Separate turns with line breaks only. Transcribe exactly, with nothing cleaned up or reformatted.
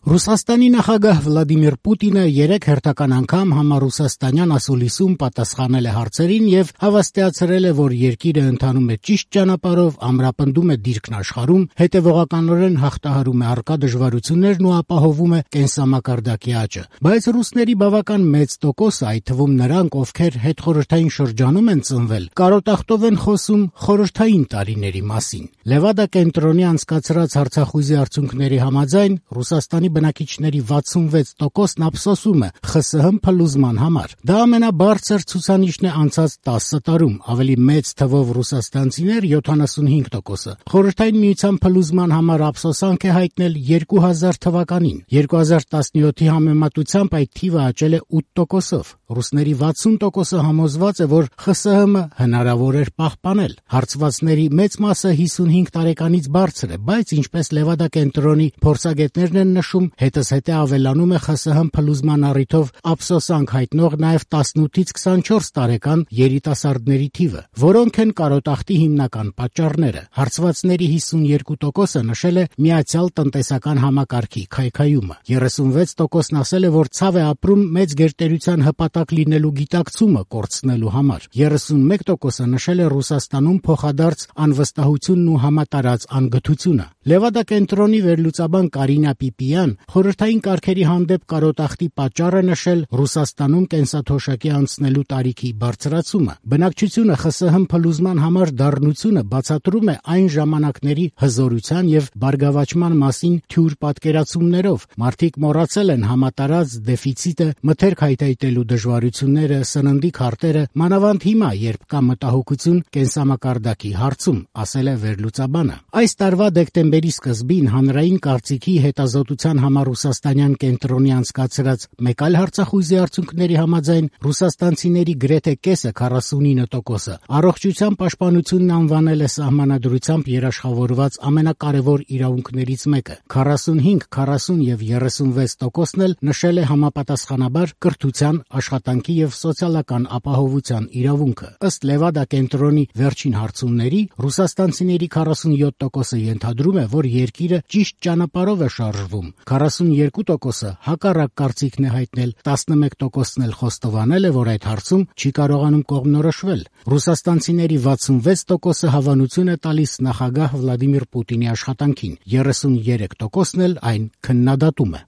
Ռուսաստանի նախագահ Վլադիմիր Պուտինը երեք հերթական անգամ համառուսաստանյան ասուլիսում պատասխանել է հարցերին եւ հավաստիացրել է, որ երկիրը ընթանում է ճիշտ ճանապարհով, ամրապնդում է դիրքն աշխարհում, հետեւողականորեն հաղթահարում է առկա դժվարություններն ու ապահովում է կենսամակարդակի աճը։ Բայց ռուսների բավական մեծ տոկոսը, այդ թվում նրանք, ովքեր հետխորհրդային շրջանում են ծնվել, կարոտախտով են խոսում խորհրդային տարիների մասին։ Լևադա կենտրոնի անցկացրած հարցախույզի արդյունքների համաձայն Ռուսաստանի բնակիչների վաթսունվեց տոկոսն ափսոսում է Խ Ս Հ փլուզման համար։ Դա ամենաբարձր ցուցանիշն է անցած տասը տարում, ավելի մեծ թվով ռուսաստանցիներ յոթանասունհինգ տոկոսը։ Խորհրդային միության փլուզման համար ափսոսանք է հայտնել երկու հազար թվականին։ երկու հազար տասնյոթի համեմատությամբ այդ թիվը աճել է ութ տոկոսով։ Ռուսների վաթսուն տոկոսը համոզված է, որ Խ Ս Հ Մ հնարավոր էր պահպանել։ Հարցվածների մեծ մասը հիսունհինգ տարեկանից բարձր է, բայց ինչպես Լևադա կենտրոնի փորձագետներն են նշում, հետզհետե ավելանում է Խ Ս Հ Մ փլուզման առիթով ափսոսանք հայտնող նաև տասնութից քսանչորս տարեկան երիտասարդների թիվը, որոնք են կարոտախտի հիմնական պատճառները։ Հարցվածների հիսունյոթ տոկոսը նշել է միացյալ տնտեսական համակարգի քայքայումը։ երեսունվեց տոկոսն ասել է, որ ցավ է ապրում մեծ գերտերության հպատակ լինելու գիտակցումը կորցնելու համար։ երեսունմեկ տոկոսը նշել է Ռուսաստանում փոխադարձ անվստահությունն ու համատարած անգթությունը։ Լևադա կենտրոնի վերլուծաբան Կարինա Պիպիան խորհրդային կարգերի հանդեպ կարոտախտի պատճառը նշել Ռուսաստանում կենսաթոշակի անցնելու տարիքի բարձրացումը։ Բնակչությունը Խ Ս Հ Մ փլուզման համար դառնությունը բացատրում է այն ժամանակների հզորության եւ բարգավաճման մասին թյուր պատկերացումներով։ Մարդիկ մոռացել են համատարած դեֆիցիտը, մթերք հայթայթելու դժվարությունները, սննդի քարտերը, մանավանդ հիմա, երբ կա մտահոգություն կենսամակարդակի հարցում, ասել է վերլուծաբանը։ Այս տարվա դեկտեմբերի սկզբին հանրային կարծիքի հետազոտության համար ռուսաստանյան կենտրոնի անցկացրած մեկ այլ հարցախույզի արդյունքների համաձայն ռուսաստանցիների գրեթե կեսը քառասունինը տոկոսը առողջության պաշտպանությունն անվանել է սահմանադրությամբ երաշխավորված ամենակարևոր իրավունքներից մեկը։ քառասունհինգ, քառասուն եւ երեսունվեց տոկոսն էլ նշել է համապատասխանաբար կրթության, աշխատանքի եւ սոցիալական ապահովության իրավունքը։ Ըստ Լևադա կենտրոնի վերջին հարցումների ռուսաստանցիների քառասունյոթ տոկոսը ենթադրում է, որ երկիրը ճիշտ ճանապարհով է շարժվում։ քառասունյոթ տոկոսը հակառակ կարծիքն է հայտնել, տասնմեկ տոկոսն էլ խոստովանել է, որ այդ հարցում չի կարողանում կողմնորոշվել։ Ռուսաստանցիների վաթսունվեց տոկոսը հավանություն է տալիս նախագահ Վլադիմիր Պուտինի աշխատանքին, երեսուներեք տոկոսն էլ այն քննադատում է։